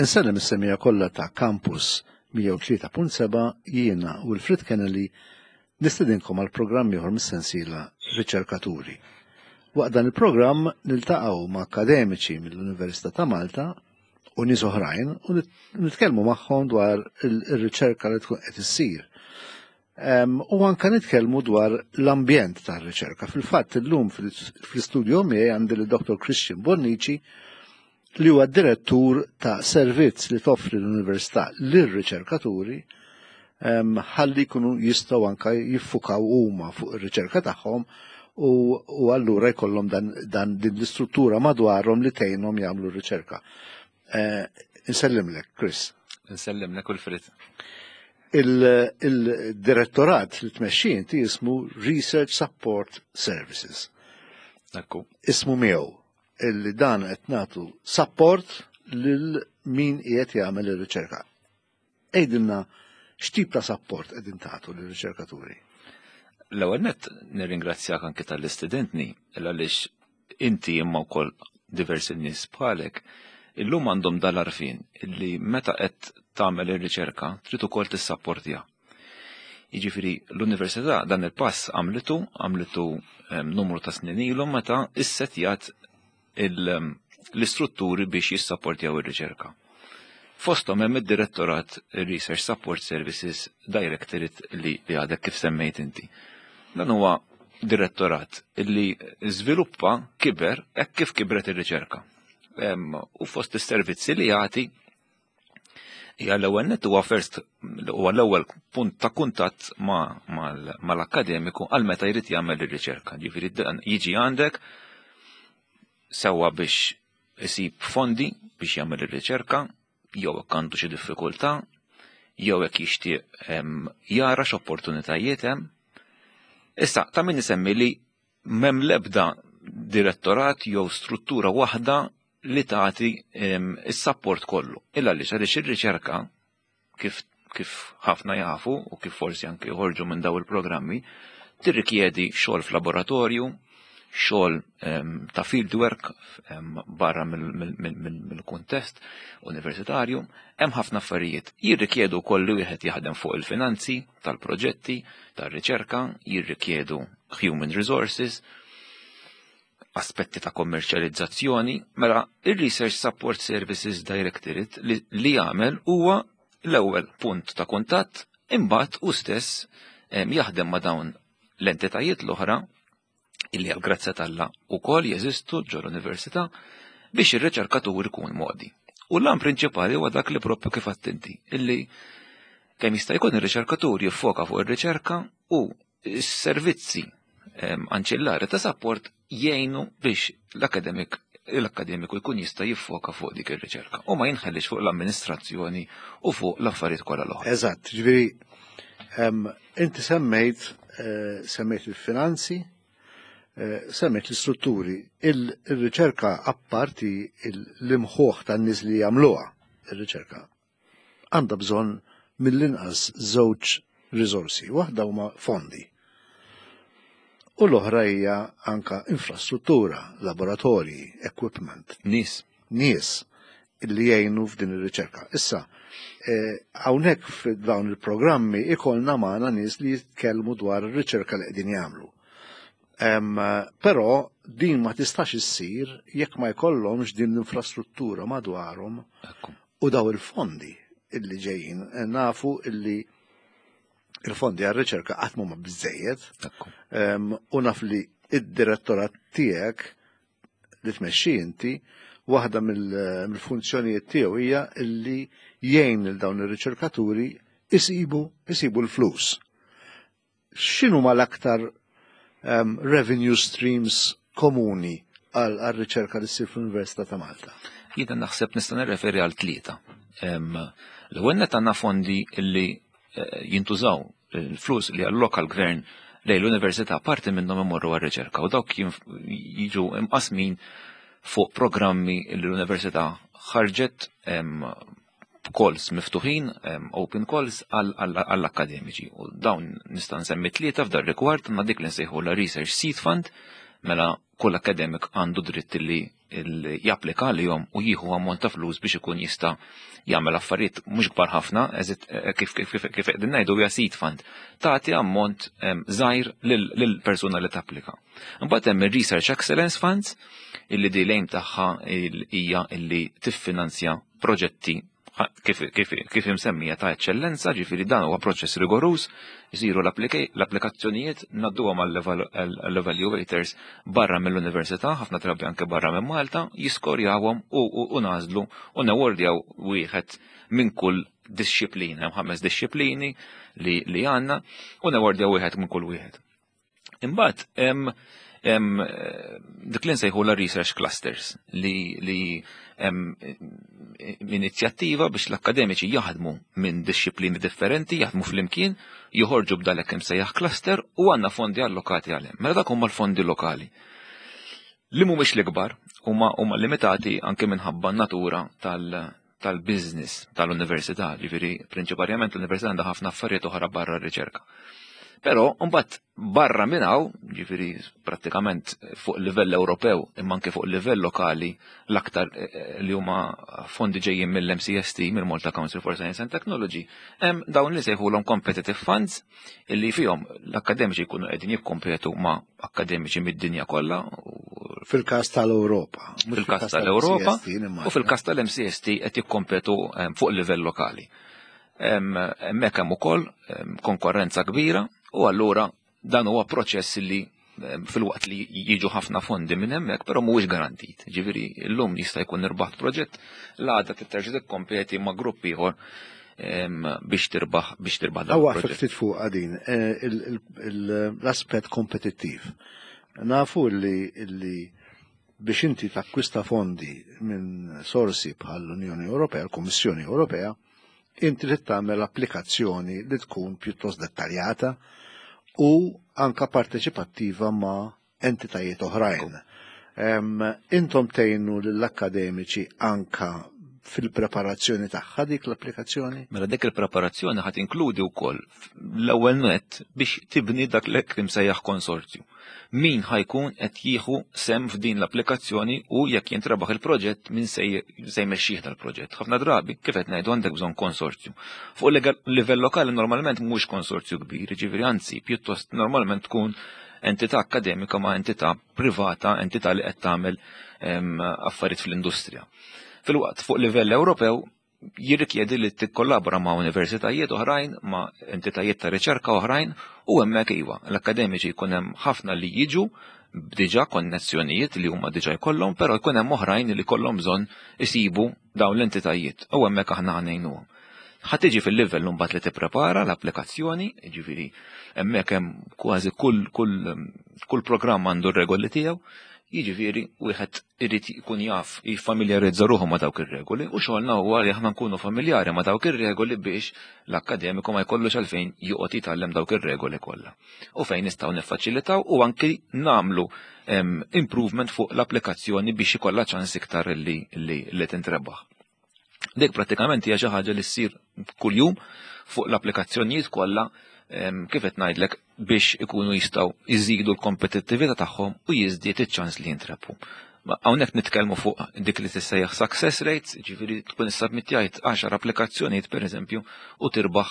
Insellem is-semija kollha ta' Campus 103.7 jiena Wilfred Kennelly nistedinkom għal programm ieħor mis-sensiela Riċerkaturi. Waqt dan il-programm niltaqgħu ma' akademiċi mill-Università ta' Malta u nies oħrajn u nitkellmu magħhom dwar ir-riċerka li tkun qed issir. U anka nitkellmu dwar l-ambjent tar-riċerka. Fil-fatt illum fl-istudju miegħi għandi lil Dr. Christian Bonnici li huwa direttur ta' servizz li toffri l-Università lir-riċerkaturi ħalli jkunu jistgħu anka jiffukaw huma fuq ir-riċerka tagħhom u, u allura jkollhom dan, dan din l-istruttura madwarhom li tgħinhom jagħmlu r-riċerka. Eh, insellimlek, Chris. Insellimlek Wilfrid. Il-direttorat li tmexxi inti jismu Research Support Services. Ekku. Ismu miegħu illi dan qed nagħtu support lil min qiegħed jagħmel ir-riċerka. Għidilna x'tip ta' support qegħdin tagħtu lir-riċerkaturi. L-ewwel nett nirringrazzjak anke tal-istudentni għaliex inti imma wkoll diversi nies bħalek illum għandhom dal-arfin illi meta qed tagħmel ir-riċerka trid ukoll tissapportja. Jiġifieri l-università dan il-pass għamlitu għamlitu numru ta' snin ilu meta issetjat l-istrutturi biex jissapportjaw ir-riċerka. Fosthom hemm id-Direttorat Research Support Services Directorate li għadek kif semmejt inti. Dan huwa direttorat li żviluppa kiber hekk kif kibret ir-riċerka. U fost is-servizzi li jagħti hija l-ewwel nett huwa first huwa l-ewwel punt ta' kuntatt mal-akkademiku għal meta jrid jagħmel ir-riċerka. Ġifieri jiġi għandek sewwa biex isib fondi biex jagħmel ir-riċerka, jew hekk għandu xi diffikultà, jew hekk jixtieq jara x'opportunitajiet hemm. Issa, ta' min isemmi li m'hemm l-ebda direttorat jew struttura waħda li tagħti is-sapport kollu. Illa għaliex għaliex ir-riċerka kif kif ħafna jafu u kif forsi anke joħorġu minn daw il-programmi, tirrikjedi xogħol f'laboratorju, xogħol ta' fieldwork barra mill-kuntest universitarju, hemm ħafna affarijiet. Jirrikjedu wkoll li wieħed jaħdem fuq il-finanzi tal-proġetti, tar-riċerka, jirrikjedu human resources, aspetti ta' kommerċjalizzazzjoni, mela il-Research Support Services Directorate li, li jagħmel huwa l-ewwel punt ta' kuntatt imbagħad u stess jaħdem ma' dawn l-entitajiet l-oħra illi għal grazzja t'Alla wkoll jeżistu ġol università biex ir-riċerkatur ikun modi. U l-għan prinċipali huwa dak li propju kif attenti, illi kemm jista' jkun ir-riċerkatur jiffoka fuq ir-riċerka u s-servizzi anċillari ta' support jgħinu biex l-akademik l-akademiku jkun jista' jiffoka fuq dik ir-riċerka u ma jinħellix fuq l-amministrazzjoni u fuq l-affarijiet kollha l-oħra. Eżatt, ġifieri inti semmejt eh, semmejt il-finanzi, eh, semmejt l-istrutturi, il-riċerka apparti l-imħuħ tan-nies li jagħmluha ir-riċerka għandha bżonn mill-inqas żewġ riżorsi. Waħda huma fondi. U l-oħra hija anka infrastruttura, laboratorji, equipment. Nies. Nies li jgħinu f'din ir-riċerka. Issa, eh, hawnhekk f'dawn il-programmi ikollna magħna nies li jitkellmu dwar ir-riċerka li qegħdin jagħmlu. Però din ma tistax issir jekk ma jkollhomx din l-infrastruttura madwarhom u daw il-fondi illi ġejjin. Eh, nafu illi il-fondi għal-riċerka qatt ma biżejjed. U naf li id-direttorat tiegħek li tmexxi inti, waħda mill-funzjonijiet tiegħu hija illi jgħin lil dawn ir-riċerkaturi isibu isibu l-flus. X'inhuma l-aktar um, revenue streams komuni għal-riċerka li ssir fl-Università ta' Malta? Jiena naħseb nista' nirreferi għal tlieta. L-ewwel net għandna fondi li eh, jintużaw il-flus li alloka l-gvern lejn l-università parti minnhom imorru għar-riċerka u dawk jiġu imqasmin fuq programmi li l-università ħarġet calls miftuħin, open calls għall-akademiċi. U dawn nista' nsemmi tlieta f'dar rigward ma' dik li nsejħu la Research Seed Fund, mela Kull akademik għandu dritt li japplika għalihom u jieħu ammont ta' flus biex ikun jista' jagħmel affarijiet mhux kbar ħafna, kif qegħdin ngħidu hija seed fund. Tagħti ammont żgħir lill-persuna li tapplika. Imbagħad hemm ir-Research Excellence Funds, illi di l-aim tagħha hija illi tiffinanzja proġetti kif imsemmija ta' eċċellenza, ġifieri dan huwa proċess rigorus, jisiru l-applikazzjonijiet, ngħadduhom għall-evaluators barra mill-università, ħafna drabi anke barra minn Malta, jiskorjawhom u nagħżlu u nawardjaw wieħed minn kull disċiplina, hemm ħames disċiplini li għandna, u nawardjaw wieħed minn kull wieħed. Imbagħad hemm dik li nsejħu la research clusters, li hemm inizjattiva biex l-akademiċi jaħdmu minn disċiplini differenti, jaħdmu flimkien, joħorġu b'dalek imsejjaħ cluster, u għandna fondi allokati għalhem. Mela dak huma l-fondi lokali, li mhumiex l-ikbar, huma limitati anke minħabba natura tal-business tal-università, ġifieri prinċipalment l-università għandha ħafna affarijiet oħra barra r-riċerka. Però mbagħad barra minn hawn, ġifieri prattikament fuq livell Ewropew imma anke fuq livell lokali, l-aktar li huma fondi ġejjin mill-MCST, mill-Malta Council for Science and Technology, hemm dawn li sejħulhom competitive funds, illi fihom l-akademiċi jkunu qegħdin jikkompetu ma' akademiċi mid-dinja kollha. Fil-każ tal-Ewropa. Fil-każ tal-Ewropa u fil-każ tal-MCST qed jikkompetu fuq livell lokali. Hemmhekk hemm ukoll konkurrenza kbira, u allura dan huwa proċess li filwaqt li jiġu ħafna fondi minn hemmhekk, però mhuwiex garantit. Ġifieri llum jista' jkun irbaħt proġett, l-għada terġa' tikkompeti ma' grupp ieħor biex tirbaħ dan. Għaw ftit fuq għadin l-aspett kompetittiv. Nafu li biex inti takkwista fondi minn sorsi bħal l-Unjoni Ewropea, l-Kummissjoni Ewropea, inti trid tagħmel applikazzjoni li tkun pjuttost dettaljata u anka parteċipattiva ma' entitajiet oħrajn. Intom tgħinu lill-akademiċi anka fil-preparazzjoni tagħha dik l-applikazzjoni? Mela dik il-preparazzjoni ħadd inkludi wkoll l-ewwel net biex tibni dak l imsejjaħ konsorzju. Min ħa jkun qed jieħu sem f'din l-applikazzjoni u jekk jintrebaħ il-proġett, min se jmexxih dal-proġett? Ħafna drabi, kif qed ngħidu, għandek bżonn konsorzju. Fuq livell lokali normalment mhux konsorzju kbir, ġifieri anzi pjuttost normalment tkun entità akademika ma' entità privata, entità li qed tagħmel affarijiet fl-industrija. Filwaqt fuq livell Ewropew jirrikjedi li tikkollabora ma' universitajiet oħrajn, ma' entitajiet ta' riċerka oħrajn, u hemmhekk iva, l-akademiċi jkun hemm ħafna li jiġu b'diġà konnessjonijiet li huma diġà jkollhom, però jkun hemm oħrajn li kollhom bżonn isibu dawn l-entitajiet u hemmhekk aħna ngħinuhom. Ħa tiġi fil-livell mbagħad li tipprepara l-applikazzjoni, ġifieri hemmhekk hemm kważi kull programm għandu r-regoli tiegħu, jiġifieri wieħed irid jkun jaf, jiffamiljarizza ruħu ma' dawk ir-regoli, u xogħolna huwa li aħna nkunu familjari ma' dawk ir-regoli biex l-akkademiku ma jkollux għalfejn joqgħod jitgħallem dawk ir-regoli kollha. U fejn nistgħu niffaċilitaw u anki nagħmlu improvement fuq l-applikazzjoni biex ikollha ċans iktar li tintrebaħ. Dik prattikament hija xi ħaġa li ssir kuljum fuq l-applikazzjonijiet kollha, kif qed ngħidlek, biex ikunu jistgħu jżidu l-kompetittività tagħhom u jiżdied iċ-ċans li jintrebħu. Hawnhekk nitkellmu fuq dik li tissejjaħ success rates, ġifieri tkun issubmittjajt 10 applikazzjonijiet, pereżempju, u tirbaħ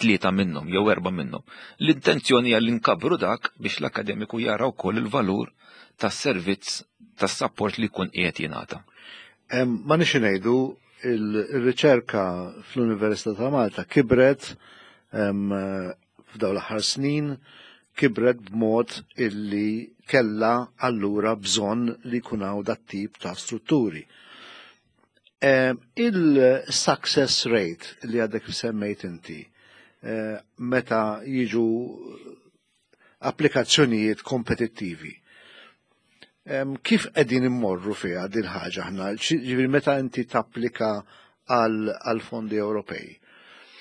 tlieta minnhom jew erba' minnhom. L-intenzjoni hija li nkabbru dak biex l-akademiku jara wkoll il-valur tas-servizz tas-support li jkun qiegħed jingħata. Ma nix ngħidu, il-riċerka fl-Università ta' Malta kibret f'dawn l-aħħar snin, kibret b'mod illi kella allura bżonn li jkun hawn dat tip ta' strutturi. Il-success rate li għadek semmejt inti, meta jiġu applikazzjonijiet kompetittivi, kif qegħdin immorru fiha din ħaġa aħna? Ġifieri meta inti tapplika għal fondi Ewropej,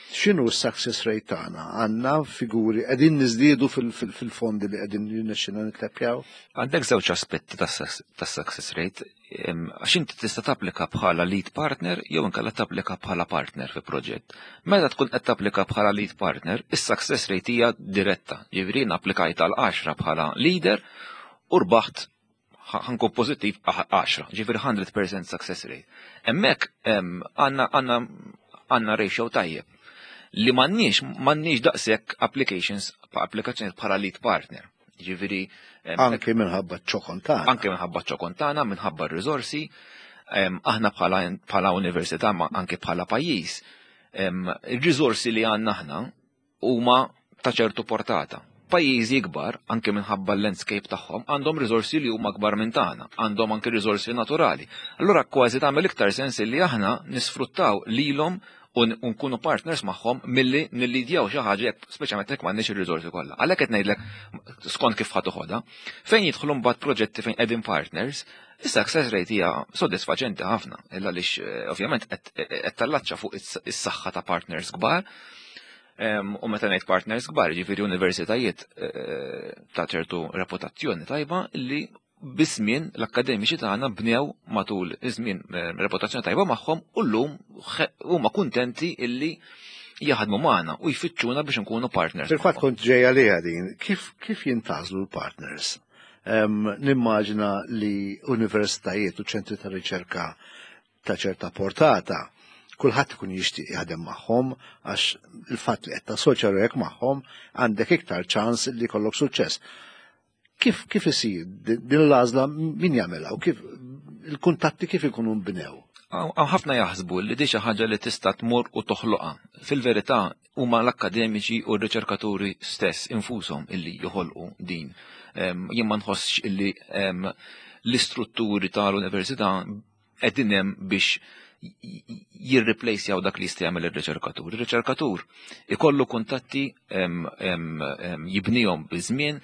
x'inhu s-success rate tagħna? Għandna figuri, qegħdin niżdiedu fil-fondi li qegħdin jirnexxina nitleppjaw? Għandek żewġ aspetti tas-success rate, għax inti tista' tapplika bħala lead partner jew inkella tapplika bħala partner fi proġett. Meta tkun qed tapplika bħala lead partner, is-success rate hija diretta. Jiġifieri applikajt għal 10 bħala leader u rbaħt. Ħa nkun pożittiv, 10, ġifieri 100% success rate. Hemmhekk għandna ratio tajjeb. Li m'għandniex daqshekk applications applikazzjoni bħala lead partner. Ġifieri anke minħabba ċ-ċokon tagħna. Anke minħabba ċ-ċokon tagħna, minħabba r-riżorsi, aħna bħala università, ma anke bħala pajjiż, ir-riżorsi li għandna aħna huma ta' ċertu portata. Pajjiżi kbar, anke minħabba l-landscape tagħhom, għandhom riżorsi li huma kbar minn tagħna, għandhom anke riżorsi naturali. Allura kważi tagħmel iktar sens li aħna nisfruttaw lilhom u nkunu partners magħhom milli nillidjaw xi ħaġa jekk speċjalment jekk m'għandniex ir-riżorsi kollha. Għalhekk qed ngħidlek skont kif ħa toħodha, fejn jidħlu mbagħad proġetti fejn qegħdin partners, is-success rate hija sodisfaċenti ħafna, illa għaliex ovvjament qed tallaċċa fuq is-saħħa ta' partners kbar. U meta ngħid partners kbar, ġifieri universitajiet ta' ċertu reputazzjoni tajba li biż-żmien l-akkademiċi tagħna bnew matul iż-żmien reputazzjoni tajba magħhom u llum huma kuntenti illi jaħdmu magħna u jfittxuna biex nkunu partners. Fil-fatt kont ġejja liha din, kif jintgħażlu l-partners? Nimmaġina li universitajiet u ċentri ta' riċerka ta' ċerta portata, kulħadd ikun jixtieq jaħdem magħhom għax il-fatt li qed tassoċja ruħek magħhom għandek iktar ċans li jkollok suċċess. Kif isir din l-għażla, min jagħmilha u kif il-kuntatti kif ikunu nbnew? Hawn ħafna jaħsbu li di xi ħaġa li tista' tmur u toħloqha. Fil-verità huma l-akkademiċi u r-riċerkaturi stess infushom illi joħolqu din. Jien ma nħossx illi l-istrutturi tal-università qegħdin hemm biex jirreplacjaw dak li jista' jagħmel ir-riċerkatur. Ir-riċerkatur ikollu kuntatti jibnihom biż-żmien,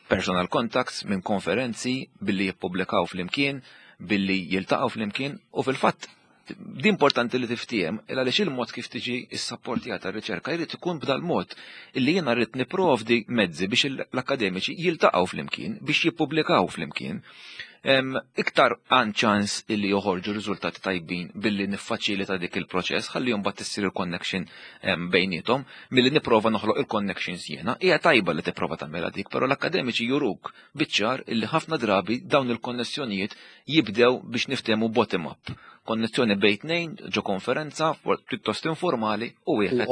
personal contacts minn konferenzi billi jippubblikaw flimkien, billi jiltaqgħu flimkien u fil-fatt di importanti li tiftiehem il għaliex il-mod kif tiġi s-sapportjata r-riċerka jrid ikun b'dal mod illi jiena rrid nipprovdi mezzi biex l-akademiċi jiltaqgħu flimkien, biex jippubblikaw flimkien. Iktar għan ċans illi joħorġu riżultati tajbin billi niffaċilita dik il-proċess ħalli mbagħad issir il-connection bejniethom milli nipprova noħloq il-connections jiena. Hija tajba li tipprova tagħmilha dik, però l-akademiċi juruk biċ-ċar illi ħafna drabi dawn il-konnessjonijiet jibdew biex niftehmu bottom up. Konnessjoni bejn tnejn ġo konferenza pjuttost informali u wieħed U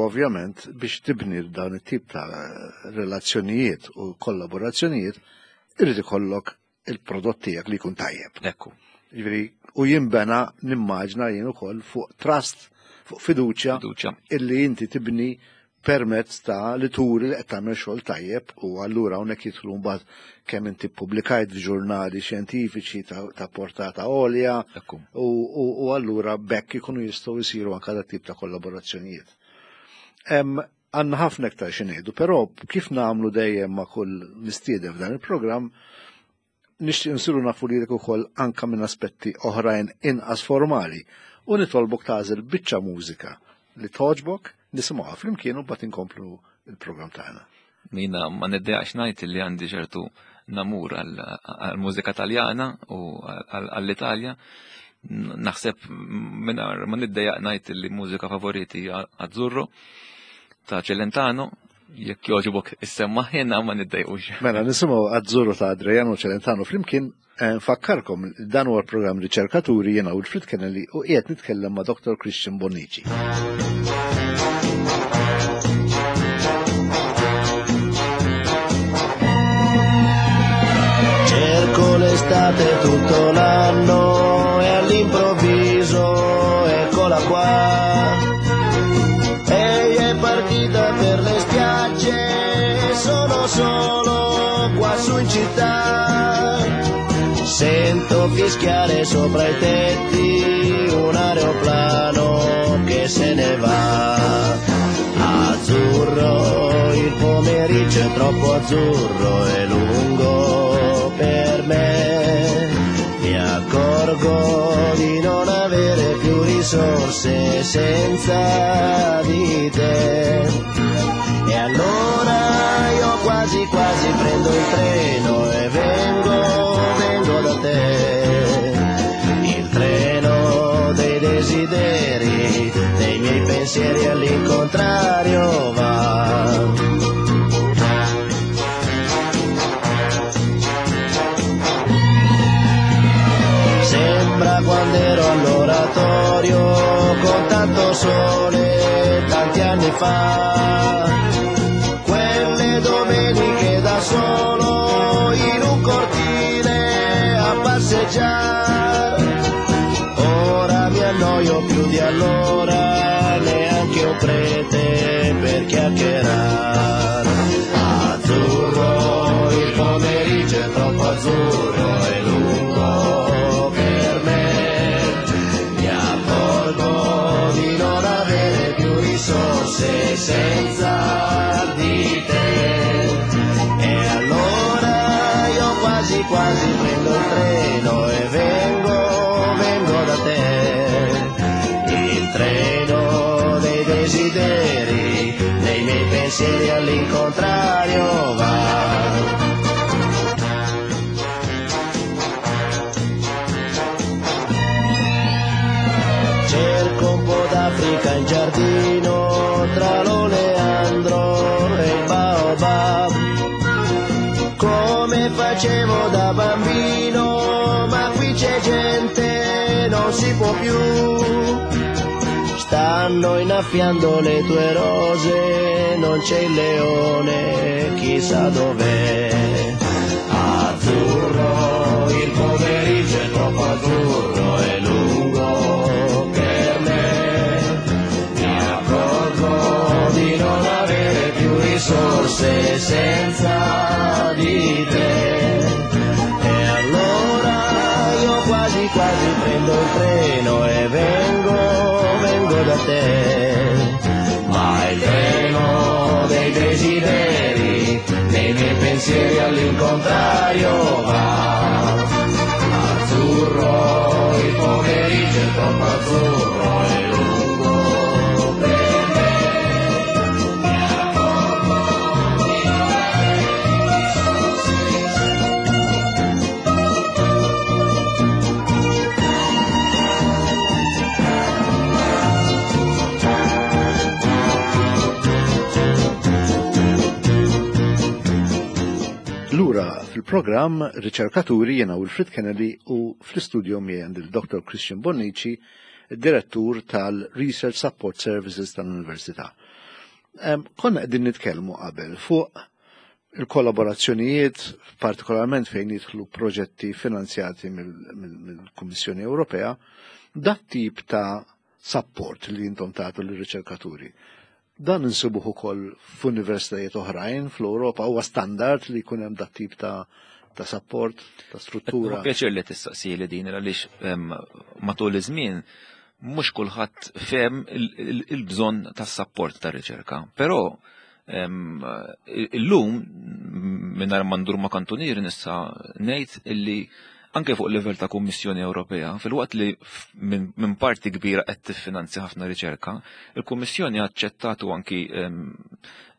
ovvjament biex tibni dawn it-tip ta' relazzjonijiet u kollaborazzjonijiet irid ikollok il-prodott tiegħek li jkun tajjeb. Ekku. Jiġifieri, u jinbena nimmaġna jien ukoll fuq trust, fuq fiduċja Fiduċja. illi inti tibni permezz ta' li turi li qed tagħmel xogħol tajjeb u allura hawnhekk jidħlu mbagħad kemm inti ppubblikajt f'ġurnali xjentifiċi ta' portata għolja u allura bekk ikunu jistgħu jsiru anke dak tip ta' kollaborazzjonijiet. Għandna ħafna iktar xi ngħidu, però kif nagħmlu dejjem ma' kull mistieden f'dan il-programm, nixtieq nsiru nafu lilek ukoll anke minn aspetti oħrajn inqas formali u nitolbok tagħżel biċċa mużika li togħġbok, nisimgħuha flimkien u mbagħad inkomplu il-programm tagħna. Mina ma niddejaqx ngħid li għandi ċertu namur għall-mużika Taljana u għall-Italja. Naħseb mingħajr ma niddejaq ngħid li mużika favoriti hija Azzurro ta' Celentano, jekk jogħġbok issemma ħina ma niddejqux. Mela nisimgħu Azzurro ta' Adriano Celentano flimkien. Nfakkarkom dan huwa l-programm Riċerkaturi, jiena Wilfred Kennelly u qiegħed nitkellem ma' Dr. Christian Bonnici. Cerco l'estate tutto l'anno e all'improvviso eccola qua. Ehi, è partita per le spiagge, sono solo qua su in città. Sento fischiare sopra i tetti un aeroplano che se ne va. Azzurro, il pomeriggio è troppo azzurro e lungo per me. Mi accorgo di non avere più risorse senza di te. E allora io quasi quasi prendo il treno e vengo, vengo da te. Il treno dei desideri, dei miei pensieri all'incontrario va. Tanti anni fa. Quelle domeniche da solo in un cortile a passeggiare. Ora mi annoio più di allora, neanche un prete per chiacchierare. Azzurro, il pomeriggio è troppo azzurro e lungo per me. Mi accorgo di non avere più risorse senza di te. E allora io quasi quasi prendo il treno e vengo, vengo da te. Il treno dei desideri, dei miei pensieri all'incontrario va. Cerco un po' d'Africa in giardino, tra l'oleandro e il baobab. Come facevo da bambino, ma qui c'è gente, non si può più. Stanno innaffiando le tue rose, non c'è il leone, chissà dov'è. Azzurro, il pomeriggio è troppo azzurro e lungo per me. Mi accorgo di non avere più risorse senza di te. E allora io quasi quasi prendo il treno e vengo, vengo da te. Ma il treno dei desideri, dei miei pensieri all'incontrario va. Azzurro, il pomeriggio è troppo azzurro e lungo per me. Mi accorgo di non avere più risorse. Lura fil-programm Riċerkaturi jiena Wilfred Kennedy u fl-istudio miegħi għandi il-Dr. Christian Bonnici, direttur tal-Research Support Services tal-Università. Konna qegħdin nitkellmu qabel fuq il-kollaborazzjonijiet, partikolarment fejn jidħlu proġetti finanzjati mill-Kummissjoni Ewropea, dat tip ta' support li intom tagħtu lir-riċerkaturi. Dan insibuh ukoll f'universitajiet oħrajn fl-Ewropa, huwa standard li jkun hemm dat tip ta' support, ta' struttura. Pjaċir li tistaqsi li din għaliex matul iż-żmien mhux kulħadd fehem il-bżonn tas-support tar-riċerka. Però illum mingħajr ma ndur ma' kantunieri nista' ngħid illi anke fuq livell ta' Kummissjoni Ewropea, filwaqt li minn parti kbira qed tiffinanzja ħafna riċerka, il-Kummissjoni aċċettat u anki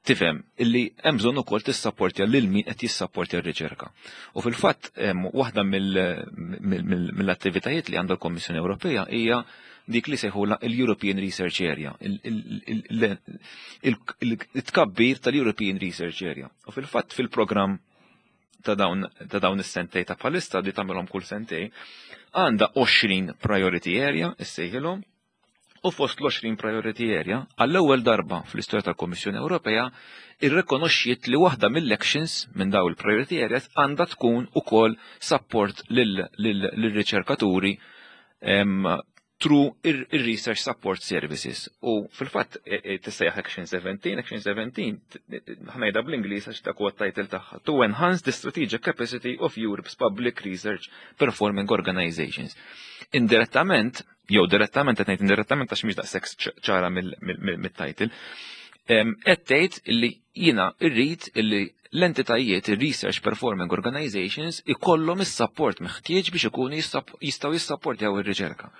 tifhem illi hemm bżonn ukoll tissapportja lil min qed jissapportja r-riċerka. U fil-fatt waħda mill-attivitajiet li għandha l-Kummissjoni Ewropea hija dik li sejħula l-European Research Area, il-tkabbir tal-European Research Area. U fil-fatt fil-programm ta' dawn is-sentej ta' bħalissa li tagħmilhom kull sentej, għandha 20 priority area, issejħilhom, u fost l-20 priority area, għall-ewwel darba fl-istorja tal-Kummissjoni Ewropea, irrikonoxxiet li waħda mill-actions minn dawn il-priority areas għandha tkun ukoll support lill-riċerkaturi through ir-Research Support Services. U fil-fatt tissejjaħ Action 17, Action 17, ħa ngħidha bl-Ingliż għax dak huwa t-title tagħha, to enhance the strategic capacity of Europe's public research performing organizations. Indirettament, jew direttament, qed ngħid indirettament għax mhix daqshekk ċara mit-title, qed tgħid illi jiena rrid illi l-entitajiet, il-Research Performing Organizations, ikollhom is-support meħtieġ biex ikunu jistgħu jissapportjaw ir-riċerka.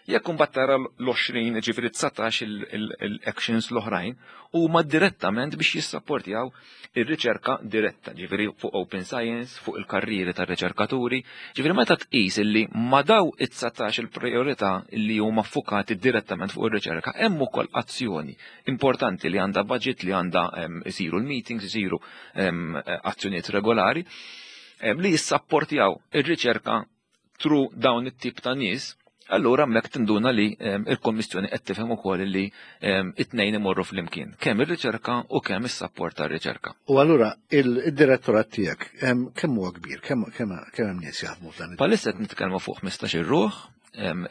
Jekk imbagħad tara l-20, ġifieri 19 il-actions l-oħrajn, huma direttament biex jissapportjaw ir-riċerka diretta, ġifieri fuq open science, fuq il-karrieri tar-riċerkaturi, ġifieri meta tqis illi ma daw it-19 il-priorità li huma ffukati direttament fuq ir-riċerka, hemm ukoll azzjoni importanti li għandha budget, li għandha isiru l-meetings, isiru azzjonijiet regolari li jissapportjaw ir-riċerka through dawn it-tip ta' nies. Allura hemmhekk tinduna li il-Kommissjoni qed tifhem ukoll li it-tnejn imorru flimkien, kemm ir-riċerka u kemm is-sapport tar-riċerka. U allura il-direttorat tiegħek kemm huwa kbir, kemm hemm nies jaħdmu f'dan? Bħalissa qed nitkellmu fuq 15-il ruħ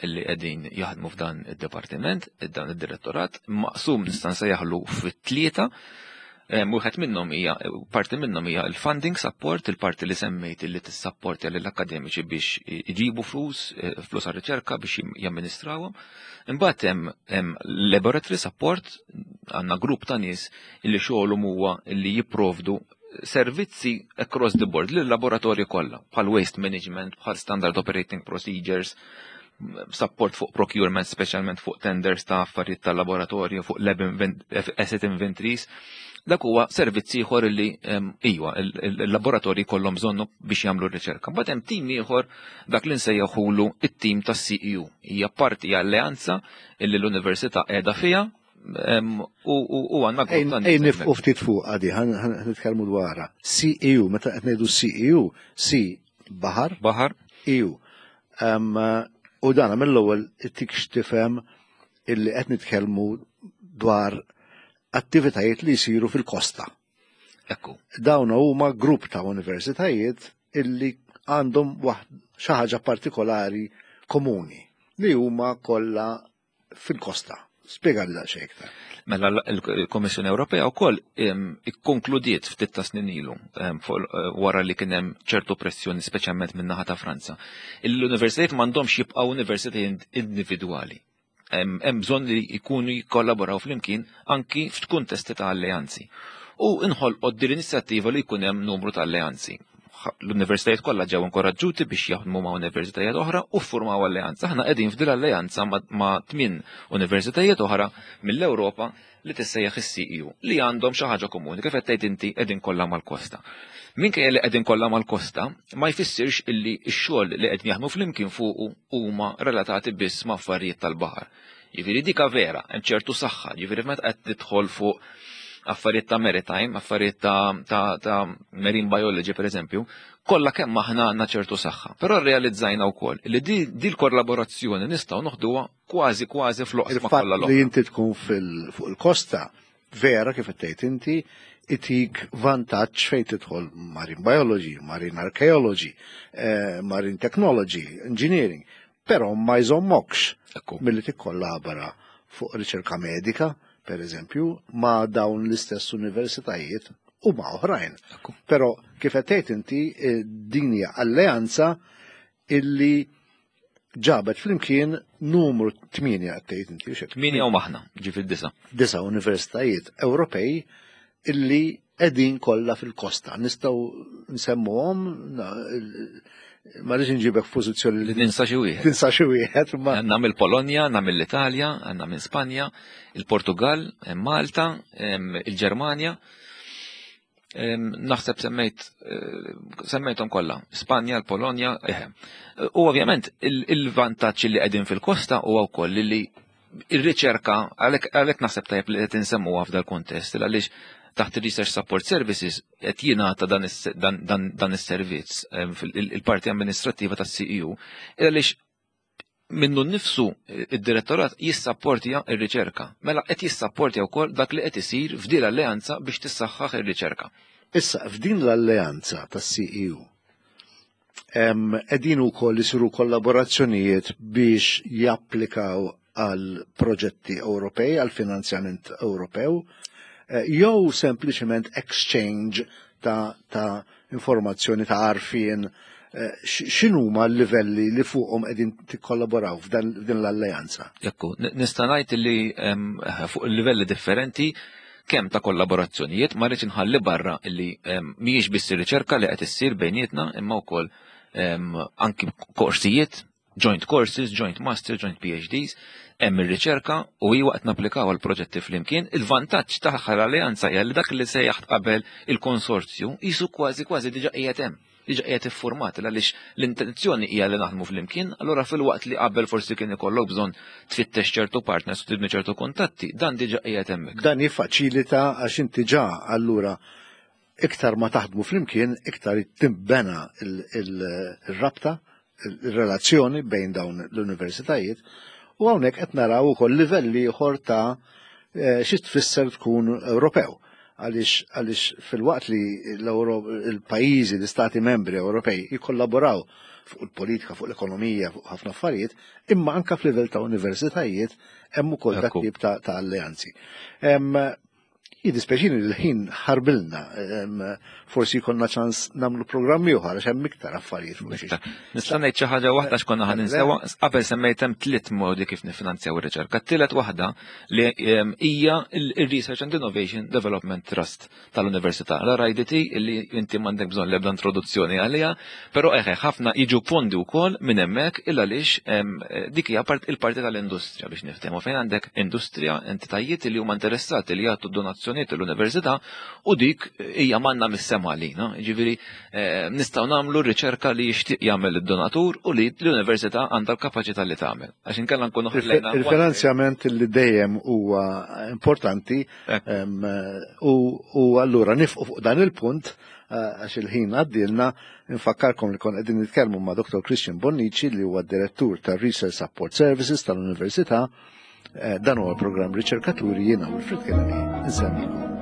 illi qegħdin jaħdmu f'dan id-dipartiment, dan id-direttorat, maqsum nista' nsejjaħlu fit-tlieta. Wieħed minnhom hija parti minnhom hija l-funding support, il-parti li semmejt li tissapportja lill-akademiċi biex iġibu flus, flus għar-riċerka biex jamministrawhom. Imbagħad hemm laboratory support, għandna grupp ta' nies li xogħolhom huwa li jipprovdu servizzi across the board lill-laboratorji kollha, bħal waste management, bħal standard operating procedures, support fuq procurement, speċjalment fuq tenders ta' affarijiet tal-laboratorju, fuq lab asset inventories. Dak huwa servizz ieħor li iwa il-laboratorji kollhom bżonnu biex jagħmlu r-riċerka. Mbagħad hemm tim ieħor dak li nsejjaħulu it-tim tas-CEU. Hija parti alleanza illi l-università qiegħda fiha u għandna grupp ta' Ej nifqu ftit fuq għadi, nitkellmu dwarha. CEU, meta qed ngħidu CEU, C baħar, baħar, EU. U dana mill-ewwel ittik x'tifhem illi qed nitkellmu dwar attivitajiet li jsiru fil-kosta. Ekku. Dawn huma grupp ta' universitajiet illi għandhom xi ħaġa partikolari komuni li huma kollha fil-kosta. Spjega li daqsxejn iktar. Mela l-Kommissjoni Ewropea wkoll ikkonkludiet ftit ta' snin ilu wara li kien hemm ċertu pressjoni speċjalment min-naħa ta' Franza. L-universitajiet m'għandhomx jibqgħu universitajiet individwali. Hemm bżonn li jkunu jikkollaboraw flimkien anki f'kuntesti ta' alleanzi. U inħolqot din l-inizjattiva li jkun hemm numru ta' alleanzi. L-universitajiet kollha ġew inkoraġġuti biex jaħdmu ma' universitajiet oħra u ffurmaw alleanza. Aħna qegħdin f'din l-alleanza ma' 8 universitajiet oħra mill-Ewropa li tissejjaħ is-CEU li għandhom xi ħaġa komuni kif qed tgħid inti qegħdin kollha mal-kosta. Minkejja li qegħdin kollha mal-kosta, ma jfissirx illi x-xogħol li qegħdin jaħdmu flimkien fuqu huma relatati biss ma' affarijiet tal-baħar. Jiġifieri dika vera, hemm ċertu saħħa, jiġifieri meta qed tidħol fuq affarijiet ta' maritime, affarijiet ta' marine biology per eżempju, kollha kemm aħna għandna ċertu saħħa. Però rrealizzajna wkoll li di l-kollaborazzjoni nistgħu noħduha kważi kważi fl-oqsma kollha l Li inti tkun fuq il-kosta, vera kif qed tgħid inti, itik vantaġġ fejn tidħol marine biology, marine archaeology, marine technology, engineering, però ma jżommokx milli tikkollabora fuq riċerka medika, per eżempju, ma' dawn l-istess universitajiet u ma' oħrajn. Però kif qed tgħid inti din hija alleanza illi ġabet flimkien numru 8 qed tgħid inti. 8 u maħna, ġifieri 9. 9 universitajiet Ewropej illi qegħdin kollha fil-kosta. Nistgħu nsemmuhom, ma rridx inġibek f'pożizzjoni li ninsa xi wieħed. Ninsa xi wieħed, ma għandna mill-Polonja, għandna mill-Italja, għandna minn Spanja, il-Portugal, Malta, il-Ġermanja. Naħseb semmejthom kollha, Spanja, l-Polonja, eħe. U ovvjament il-vantaġġ li qegħdin fil-kosta huwa wkoll li ir-riċerka għalhekk naħseb tajjeb li qed insemmuha f'dal kuntest għaliex taħt il-Research Support Services qed jingħata dan is-servizz il-parti amministrattiva tas-CEU għaliex minnu nnifsu id-direttorat jissapportja r-riċerka. Mela qed jissapportja wkoll dak li qed isir f'din l-alleanza biex tissaħħaħ ir-riċerka. Issa f'din l-alleanza tas-CEU qegħdin ukoll isiru kollaborazzjonijiet biex japplikaw għal proġetti Ewropej, għal finanzjament Ewropew, jew sempliċement exchange ta' informazzjoni ta' għarfien, x'inhuma l-livelli li fuqhom qegħdin tikkollaboraw f'din l-alleanza? Ekku, nista' ngħid li fuq livelli differenti kemm ta' kollaborazzjonijiet ma rridx inħalli barra li mhijiex biss ir-riċerka li qed issir bejnietna imma wkoll anki korsijiet, joint courses, joint master, joint PhDs, hemm ir-riċerka u hi waqt napplikaw għal proġetti flimkien. Il-vantaġġ tagħha l-alleanza hija li dak li sejjaħt qabel il-konsorzju jisu kważi kważi diġà qiegħed hemm, diġà qiegħed iffurmat għaliex l-intenzjoni hija li naħdmu flimkien, allura fil-waqt li qabel forsi kien ikollok bżonn tfittex ċertu partners u tibni ċertu kuntatti, dan diġà qiegħed hemmhekk. Dan jiffaċilita għax inti ġa allura iktar ma taħdmu flimkien, iktar timbena il-rabta, il-relazzjoni bejn dawn l-universitajiet u hawnhekk qed naraw ukoll livelli ieħor ta' eh, xi tfisser tkun Ewropew għaliex għaliex filwaqt li l-pajjiżi, l-istati membri Ewropej jikkollaboraw fuq il-politika, fuq l-ekonomija, fuq ħafna affarijiet, imma anka f'livell ta' universitajiet hemm ukoll dak tip ta' alleanzi. Jiddispjaċini li l-ħin ħarbilna, forsi jkollna ċans nagħmlu programm ieħor għax hemm iktar affarijiet fuq xiex. Nista' ngħid xi ħaġa waħda x'konna ħa ninsewa, qabel semmejt hemm tliet modi kif nifinanzjaw ir-riċerka. Tielet waħda li hija il-Research and Innovation Development Trust tal-Università. L-RIDT li inti m'għandek bżonn l-ebda introduzzjoni għaliha, però eħe ħafna jiġu fondi wkoll minn hemmhekk il għaliex dik hija il-parti tal-industrija biex niftehmu fejn għandek industrija, entitajiet li huma interessati li jagħtu donazzjonijiet l-università u dik hija manna mis-sema għalina. Jiġifieri eh, nistgħu nagħmlu riċerka li jixtieq jagħmel id-donatur u li l-università għandha l-kapaċità li tagħmel. Għax inkella nkunu ħallejna. Il-finanzjament li dejjem huwa importanti u allura nifqu fuq dan il-punt eh, għax il-ħin għaddilna nfakkarkom li kon qegħdin nitkellmu ma' Dr. Christian Bonnici li huwa direttur tar-Research Support Services tal-Università. Eh, dan huwa l-programm Riċerkaturi jiena Wilfred Kennedy. Nsemmikom.